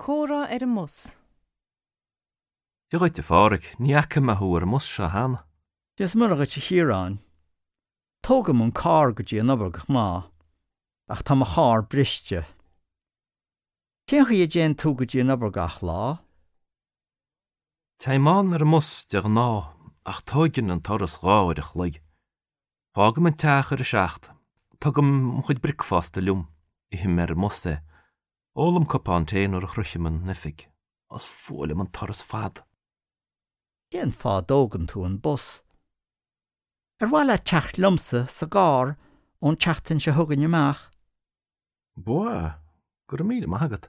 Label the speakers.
Speaker 1: Comhrá ar an mbus.
Speaker 2: Dia dhuit, a Pháraic, ní fhaca mé thú ar an mbus seo cheana.
Speaker 3: Dia is Muire dhuit, a Chiaráin. Tógaim an carr go dtí an obair de ghnáth, ach tá mo charr briste. Cén chaoi a dtéann tú go dtí an obair gach lá?
Speaker 2: Téim ann ar an mbus de ghnáth, ach tóigeann an turas 2 uair a chloig. Fágaim an teach ar a 7. Tugaim mo chuid bricfeasta liom, ithim ar an mbus é. Ólaim cupán tae nuair a shroichim an oifig. Is fuath liom an turas fada.
Speaker 3: Cén fáth a dtógann tú an bus? Ar mhaith leat teacht liomsa sa gcarr ón tseachtain seo chugainn amach?
Speaker 2: Ba mhaith, go raibh míle maith agat.